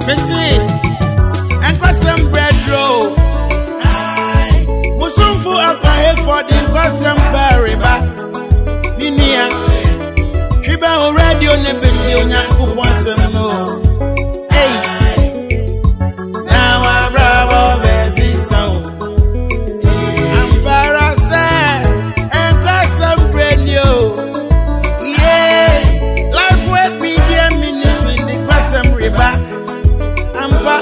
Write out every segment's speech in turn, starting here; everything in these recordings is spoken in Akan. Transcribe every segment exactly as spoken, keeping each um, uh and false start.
Mese, nkwasɛm brɛdro. Musumfo akwahefo de nkwasɛm bɛreba. Me nua, twi bɛ wo radio ne bɛti Onyankopɔn asɛm no. Ei, na wabrabɔ bɛsesa wo. Ampara sɛ nkwasɛm brɛ ni o. Yeah, Life Word Media Ministry de nkwasɛm reba. Ampa,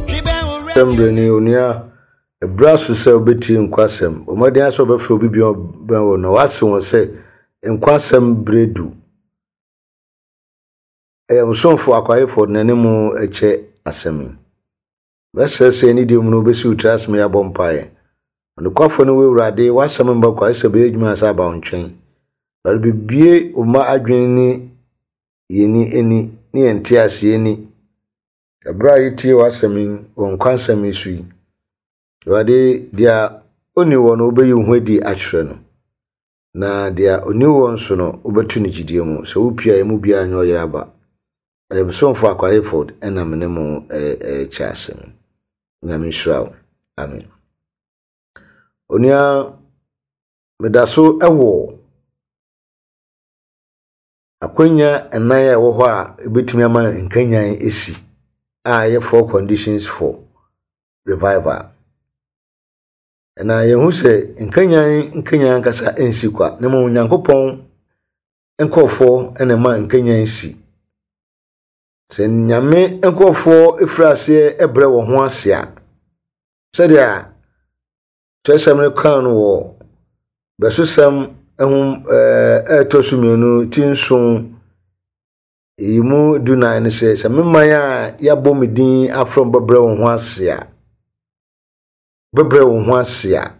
twi bɛ wo radio. Sɛm berɛ ni, onua, ɛberɛ aso sɛ wobɛtie nkwasɛm. Ɔmmɔden sɛ wobɛfrɛ obi bia bɛn wɔ na wase wɔn sɛ nkwasɛm berɛ du. Ɛyɛ msomfo akwayefoɔ n'anim kyɛ asɛm yi. Bɛsrɛ sɛ ne deɛ mu no wobɛsi wo tiri ase ma yɛabɔ mpaeɛ. Ɔnokwafo no wo Awurade, w'asɛm mba kwa sɛ bɛyɛ adwuma sɛ aba wo nkyɛn. Awurade, bebue wo mma adwene ne yɛni ani ne yɛn nteaseɛ ni. Ɛberɛ a yɛtie w'asɛm yi wɔ nkwansɛm yi so yi, Awurade, deɛ ɔnni wɔ no wobɛyi wo ho adi akyerɛ no. Na deɛ ɔnni wɔ nso no wobɛto no gyidie mu. Sɛ wopie a emu biara nyɛ ɔyere aba. Ɛyɛ Bosomfo Akwa ɛna me ne mo ɛrekyɛ asɛm. Nyame nhyira wo. Amen. Onua, meda so ɛwɔ akwanya nnan a ɛwɔ hɔ a ebɛtumi ama nkanyan esi a ɛyɛ four conditions for revival. Na yɛhu sɛ nkanyan nkanyan ankasa nsi kwa na mmom Onyankopɔn nkurɔfoɔ na ɛma nkanyan si. Sɛ Nyame nkurɔfoɔ efiri aseɛ brɛ wɔn ho ase a, sɛdeɛ kyerɛsɛm no kaa no wɔ bɛsosɛm ho ɛɛ ɛtɔ so mmienu ti nson yi mu dunan no sɛ, sɛ me man a yɛabɔ me din afrɛ wɔn bɛbrɛ wɔn ho ase a, bɛbrɛ wɔn ho ase a,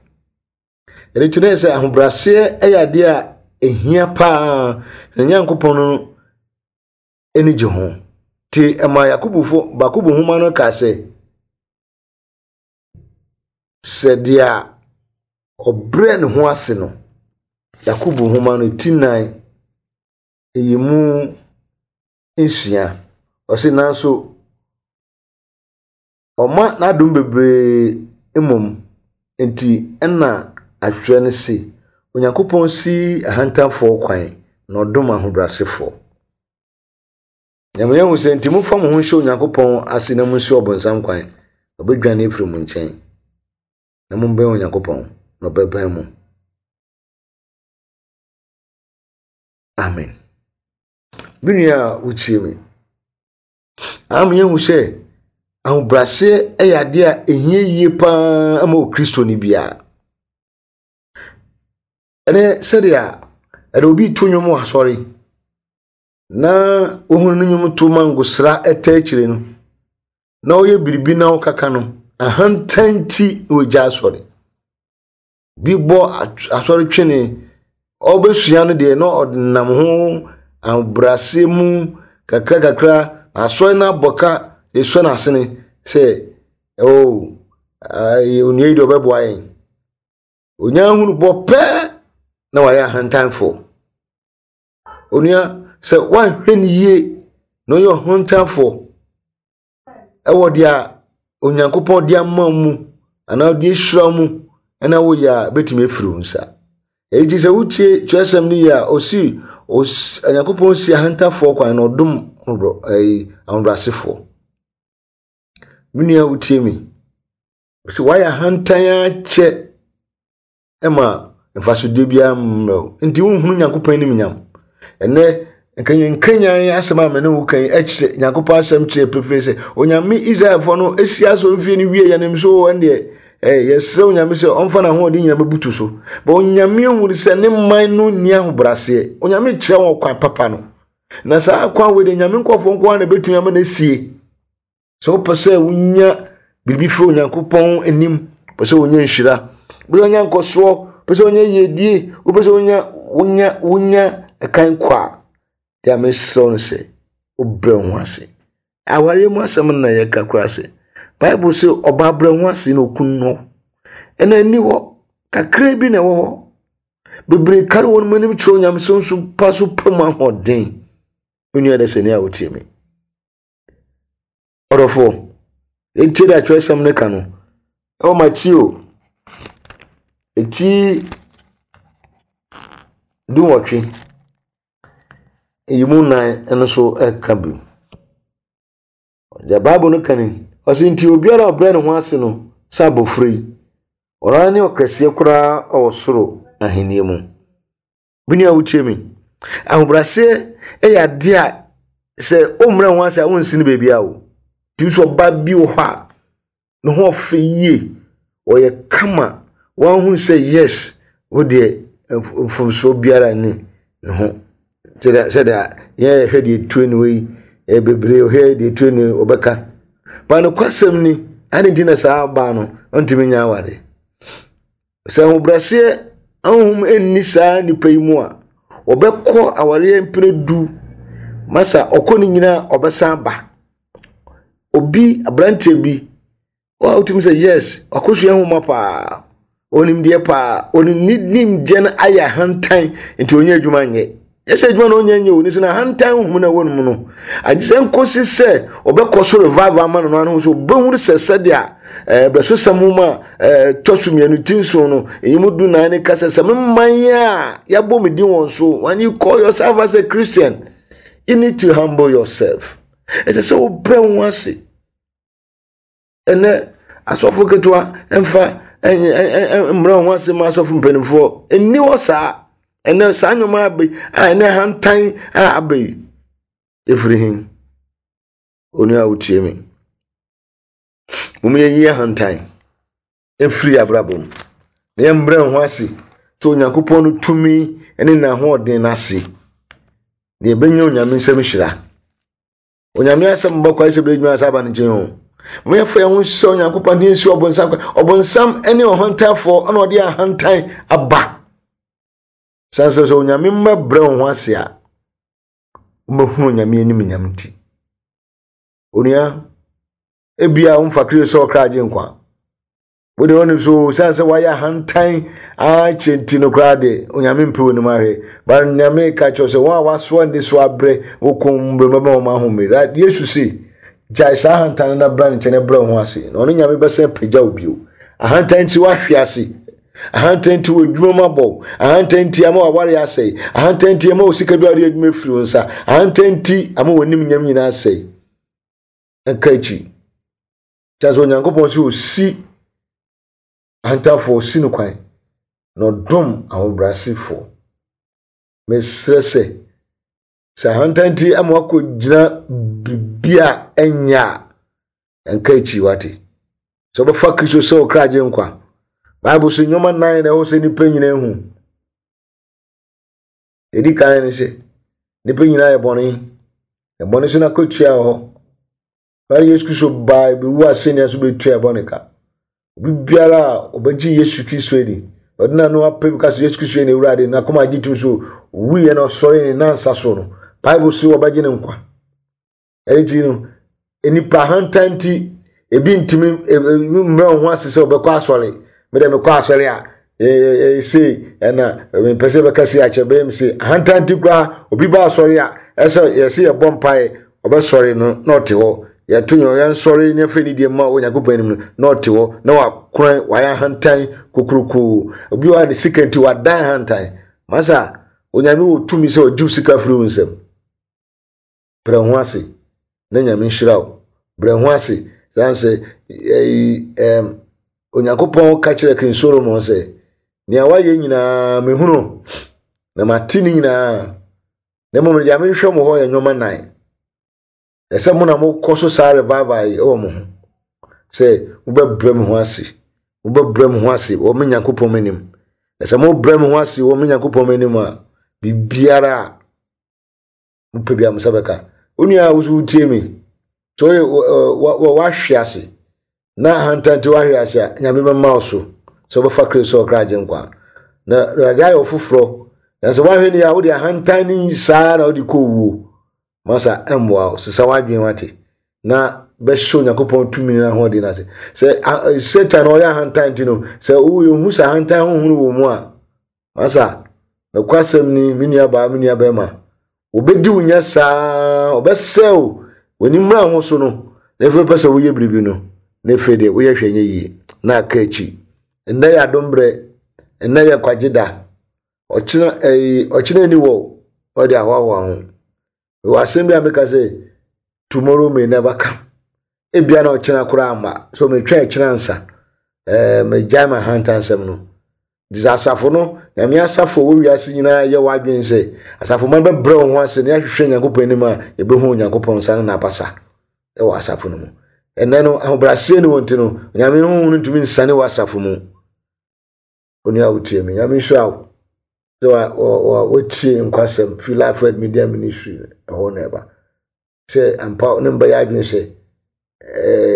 ɛno kyerɛ sɛ ahobrɛaseɛ yɛ adeɛ a ɛhia paa na Nyankopɔn no ani gye ho. Nti ɛma Yakobofo Yakobo nhoma no ka sɛ, sɛ deɛ ɔbrɛ ne ho ase no, Yakobo nhoma no ti nan ɛyi mu nsia, ɔse nanso ɔma n'adom bebree mmom nti ɛna atwerɛ no se, Onyankopɔn si ahantanfoɔ kwan na ɔdom ahobrɛasefoɔ. Nyame yɛhu sɛ nti momfa mo ho nhyɛ Onyankopɔn ase na munsi ɔbonsam kwan, ɔbɛdwane afiri mo nkyɛn. Na mombɛn Onyankopɔn na ɔbɛbɛn mo. Amen. Me nua a wotie me, ama yɛhu sɛ ahobrɛaseɛ yɛ adeɛ a ɛhia yie paa ma Okristoni biara. Ɛnɛ sɛdeɛ ɛde obi to nnwom wɔ asɔre na ohunu no nnwom to ma ngosra ɛta akyire no, na ɔyɛ biribi na ɔkaka no, ahantan nti na ogya asɔre. Bi bɔ asɔre twene, ɔbɛsua no deɛ na ɔnam ho ahobrɛaseɛ mu kakra kakra, na asɔre no abɔ ka esua n'asene sɛ oh, onua yi deɛ ɔbɛboa yɛn. Onyaa hunu bɔ pɛɛ na wayɛ ahantanfoɔ. Onua, sɛ woanhwɛ no yie na ɔyɛ ɔhantanfoɔ ɛwɔ deɛ Onyankopɔn de ama mu anaa ɔde ahyira mu ɛna woyɛ a, bɛtumi afiri wo nsa. Enti sɛ wotie twerɛsɛm no yie a, ɔsi Onyankopɔn si ahantanfoɔ kwan na ɔdom ahobrɛasefoɔ. Me nua wotie me, sɛ woayɛ ahantan akyɛ ɛma mfasodeɛ biara mmerɛ wo nti wonhunu Nyankopɔn anim nyam. Ɛnɛ nkanyan asɛm a me ne wo kan kyerɛ Nyankopɔn asɛm kyerɛ pefee sɛ Onyame Israelfoɔ no esi asɔrefie no wie yɛnim so ɛndeɛ ɛɛ yɛsrɛ Onyame sɛ ɔmfa n'ahoɔden nyinaa bɛbutu so. Ba Onyame ehunu sɛ ne man no nni ahobrɛaseɛ. Onyame kyerɛ wɔn kwan papa no. Na saa kwan wei de Nyame nkurɔfoɔ nko ara na ebɛtumi ama no asie. Sɛ wopɛ sɛ wonya biribi firi Onyankopɔn anim, pɛ sɛ wonya nhyira, wopɛ sɛ wonya nkɔsoɔ, wopɛ sɛ wonya yiedie, wopɛ sɛ wonya wonya wonya ɛkan kɔ a, deɛ mesrɛ wo no sɛ wobrɛ wo ho ase. Awareɛ mu asɛm no na yɛka koraa sɛ Bible sɛ ɔbaa brɛ ho ase na okunu no. Ɛna ɛni hɔ kakra bi na ɛwɔ hɔ. Bebree kare wɔn anim kyerɛ Onyame so nso pa so pɛ mu ahoɔden. Me nua dɛ sɛ nea wotie me. Ɔdɔfoɔ, yɛntie deɛ atwerɛsɛm no ka no. Ɛwɔ Mateo eti dunwɔtwe, yi mu nnan no so ɛka bi. Deɛ Bible no ka ni, ɔse nti obiara a ɔbrɛ ne ho ase no sɛ abɔfra yi, ɔno ara ne ɔkɛseɛ koraa wɔ soro ahenni mu. Me nua wotie me, ahobrɛaseɛ yɛ adeɛ a sɛ wommrɛ ho ase a wonsi no baabi a o. Nti sɛ ɔba bi wɔ hɔ a ne ho ɔfɛ yie, ɔyɛ kama, wɔahunu sɛ yes, wo deɛ mfomsoɔ biara nni ne ho. Sɛdeɛ sɛdeɛ yɛn yɛhwɛ deɛ etue ne wei, ɛyɛ bebree ɔhwɛ deɛ etue ne ɔbɛka. Ba nokwasɛm ni, ade nti na saa ɔbaa no ɔntumi nya aware. Sɛ ahobrɛaseɛ ahonhom nni saa nipa yi mu a, ɔbɛkɔ awareɛ mpere du masa ɔkɔ ne nyinaa ɔbɛsan ba. Obi aberanteɛ bi a wotumi sɛ yes, wakɔsua nwoma paa, onim deɛ paa, onim ne nimdeɛ no ayɛ ahantan nti ɔnyɛ adwuma nyɛ. Yɛsɛ adwuma na ɔnyɛ nyɛ o, ne so na ahantan honhom na ɛwɔ no mu no. Agye sɛ nkosi sɛ ɔbɛkɔ so revival ama no no ano so ɔbɛhunu sɛ sɛdeɛ ɛɛ bɛsosɛm nwoma a ɛɛ tɔ so mmienu ti nson no eyi mu du nan ne kasa sɛ me man a yɛabɔ me din wɔn so. When you call yourself as a Christian, you need to humble yourself. Ɛsɛ sɛ wobrɛ wo ho ase. Ɛnɛ asɔfo ketewa mfa mmerɛ wo ho ase ma asɔfo mpanimfoɔ nni hɔ saa. Ɛnɛ saa nnwoma aba yi a ɛnɛ hantan a aba yi ɛfiri hin. Onua a wotie me, mom yɛnyi ahantan ɛfiri abrabɔ mu na yɛmbrɛ wo ho ase sɛ Onyankopɔn no tumi ne n'ahoɔden no ase na yɛbɛnya Onyame nsɛm hyira. Onyame asɛm bɛkɔ ayɛ sɛ bɛdwuma asa aba ne nkyɛn o. Mo yɛfa yɛn ho sɛ Onyankopɔn de nsi ɔbonsam kwan. Ɔbonsam ne ɔhantanfoɔ ɛna ɔde ahantan aba. San sɛ sɛ Onyame mma brɛ wo ho ase a, wobɛhunu Onyame anim nyam nti. Onua, ebia womfa Kristo sɛ ɔkra agye nkwa. Wode wɔn so san sɛ wayɛ ahantan akyɛ nti no koraa de Onyame mpɛ w'anim ahwɛ. Ba Nyame ka kyerɛ sɛ wɔn a wasoa ne so abrɛ wɔkɔn mbrɛ mɛma wɔn ahome. Yesu se gyae saa ahantan no na bra ne nkyɛn na brɛ wo ho ase. Na ɔno Nyame bɛsɛn pagya wo bio. Ahantan nti wahwe ase. Ahantan nti wɔ adwuma mu abɔ. Ahantan nti ama waware asɛe. Ahantan nti ama wo sika bi a wɔde adwuma firi wo nsa. Ahantan nti ama w'anim nyam nyinaa asɛe. Nka akyi. Kyerɛ sɛ Onyankopɔn sɛ osi ahantanfoɔ si no kwan na ɔdom ahobrɛasefoɔ. Mesrɛ sɛ sɛ ahantan nti ama wakɔgyina biribi a ɛnyɛ a, nka akyi wate. Sɛ wobɛfa Kristo sɛ wo kra agye nkwa. Bible so nneɛma nnan na ɛwɔ sɛ nnipa nyinaa hu. Ɛdi kan ne sɛ nnipa nyinaa yɛ bɔne. Na bɔne so n'akatua wɔ hɔ. Na Yesu Kristo baa bɛwu asɛnnua so bɛtua bɔne ka. Obi biara a ɔbɛgye Yesu Kristo adi, ɔde n'ano apɛ bi ka sɛ Yesu Kristo yɛ n'Awurade, n'akoma agye tom so owuiɛ na ɔsɔre ne nansa so no, Bible so wɔbɛgye ne nkwa. Ɛno nti no, nnipa ahantan nti, ebi ntumi mmerɛ wɔn ho ase sɛ ɔbɛkɔ asɔre. Mede mekɔ asɔre a, sei ɛna mepɛ sɛ bɛka sei akyerɛ bɛyɛ me sei. Ahantan nti koraa, obi ba asɔre a, ɛsɛ yɛsɛ yɛbɔ mpaeɛ, ɔbɛsɔre no na ɔte hɔ. Yɛto yɛn yɛnsɔre ne afei ne deɛ ma Onyankopɔn anim no na ɔte hɔ na wakoran wayɛ ahantan kokurokoo. Obi wɔ ha ne sika nti wadan ahantan. Masa, Onyame wɔ tumi sɛ ɔgye wo sika firi wo nsam. Brɛ ho ase na Nyame nhyira wo. Brɛ ho ase san sɛ ɛyi ɛm Onyankopɔn ka kyerɛ King Solomon sɛ nea wayɛ nyinaa mehunu na mate ne nyinaa. Na mmom deɛ mehwehwɛ mo hɔ yɛ nneɛma nnan. Ɛsɛ mo na mokɔ so saa revival yi wɔ mo ho sɛ mobɛbrɛ mo ho ase, mobɛbrɛ mo ho ase wɔ me Nyankopɔn anim. Ɛsɛ mobrɛ mo ho ase wɔ me Nyankopɔn anim a, biribiara a mopɛ biara mo nsa bɛka. Wo nua a wo so wotie me, sɛ woyɛ wahwe ase na ahantan nti wahwe ase a, Nyame bɛma wo so sɛ wobɛfa Kristo sɛ ɔkra agye nkwa. Na Awurade ayɛ wo foforɔ. Na sɛ woahwɛ ni a, wode ahantan ne saa na wode kɔ owuo. Masa ɛmmoa wo, sesa w'adwene wate na bɛhyɛ Onyankopɔn tumi no ahoɔden no ase. Sɛ Satan ɔyɛ ahantan nti no, sɛ wohu sɛ ahantan honhom wɔ mu a, masa nokwasɛm ni, me nua baa, me nua bɛrima, obɛdi wo nya saa, ɔbɛsɛe wo, w'ani mmra ho so no, Na afei wopɛ sɛ woyɛ biribi no, na afei deɛ woyɛ hwɛ nyɛ yie na aka akyi. Nnɛ yɛ adombrɛ, nnɛ yɛ nkwagye da. Ɔkyena ɛyi ɔkyena ni wɔ ɔde ahoahoa ho. Wɔ asɛm bi a meka sɛ tomorrow may never come. Ebia na ɔkyena koraa amma. So metwa ɛkyena nsa. Ɛɛ megyae ma ahantansɛm no. Nti sɛ asafo no, Nyame asafo a ɛwɔ wiase nyinaa yɛ w'adwene sɛ asafo ma bɛbrɛ wɔn ho ase na yɛahwehwɛ Nyankopɔn anim a, yɛbɛhu Onyankopɔn nsa ne n'abasa wɔ asafo no mu. Ɛnnɛ no, ahobrɛaseɛ ne wɔn nti no, Onyame honhom no ntumi nsane wɔ asafo mu. Onua a wotie me, Nyame nhyira wo sɛ wotie nkwasɛm fi Life Word Media Ministry ɛhɔ na ɛba. Sɛ ampa ne mbɛyɛ adwene sɛ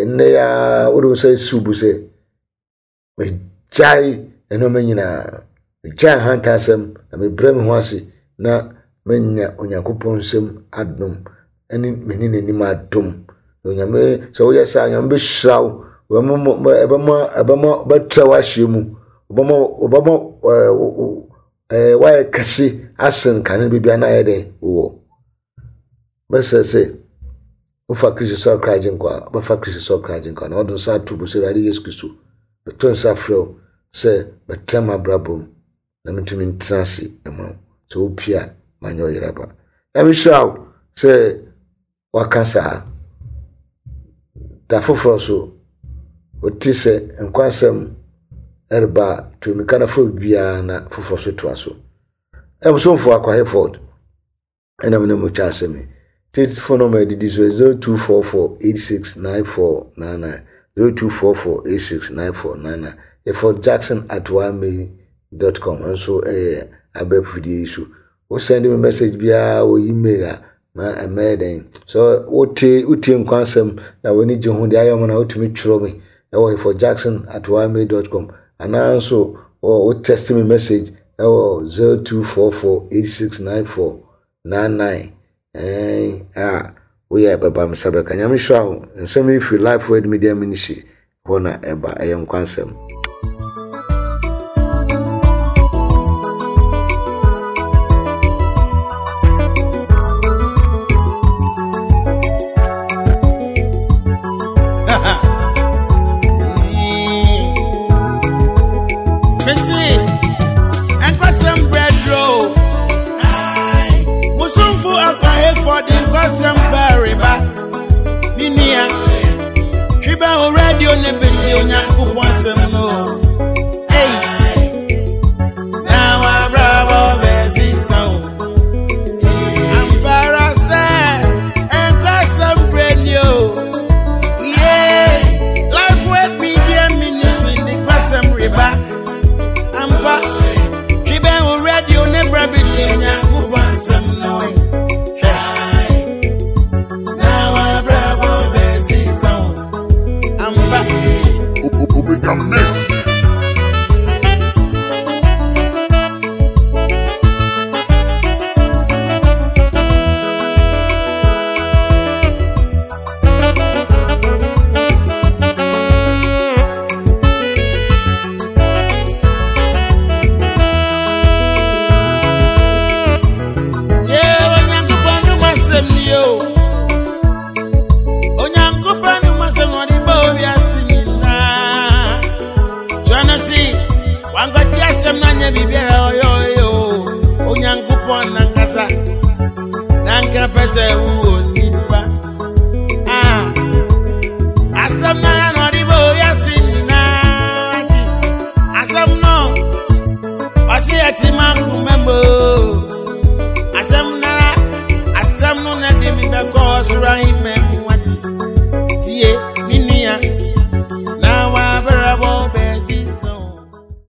nnɛ ya wode wo nsa esi wo bo sɛ megyae nneɛma nyinaa, megyae ahantansɛm na mebrɛ me ho ase na manya Onyankopɔn nsam adom ne m'ani n'anim adom. Na Onyame sɛ woyɛ saa, Onyame bɛhyira wo, ɛbɛma ɛbɛma bɛtrɛ w'ahyɛ mu, ɔbɛma ɔbɛma ɛɛ woayɛ kɛse asen kane baabi a na ayɛ dɛn wowɔ. Bɛsrɛ sɛ wofa Kristo sɛ ɔkra agyenkwa a, wobɛfa Kristo sɛ ɔkra agyenkwa na wode nsa ato bo sɛ Awurade Yesu Kristo, meto nsa frɛ wo sɛ bɛtena m'abrabɔ mu na mentumi ntena ase ma wo. Sɛ wopie a, manyɛ ɔyere aba. Na mehyira wo sɛ waka saa. Da foforɔ so, wote sɛ nkwasɛm ɛreba a, tu mmirika na fa biribiara na foforɔ so toa so. Ɛmsomfo Akwa Hayford ɛna me ne mo kyɛ asɛm yi. Tete phone number didi so zero two four four eight six nine four nine nine zero two four four eight six nine four nine nine. Hayford Jackson at ymail dot com nso ɛyɛ abɛɛfo fidie yi so. Wo send me message biara wɔ email a ma ɛmɛyɛ dɛn. So wotie wotie nkwansɛm na w'ani gye ho deɛ ayɛ ɔmo na wotumi twerɛ me ɛwɔ Hayford Jackson at ymail dot com anaa nso wo text me message ɛwɔ zero two four four eight six nine four nine nine. Ɛn a woyɛ bɛba me nsa bɛka. Nyame hyira wo. Nsɛm yi firi Life Word Media Ministry hɔ na ɛba. Ɛyɛ nkwansɛm. Miss. Asem no na de mi be ko sura himem wati tie.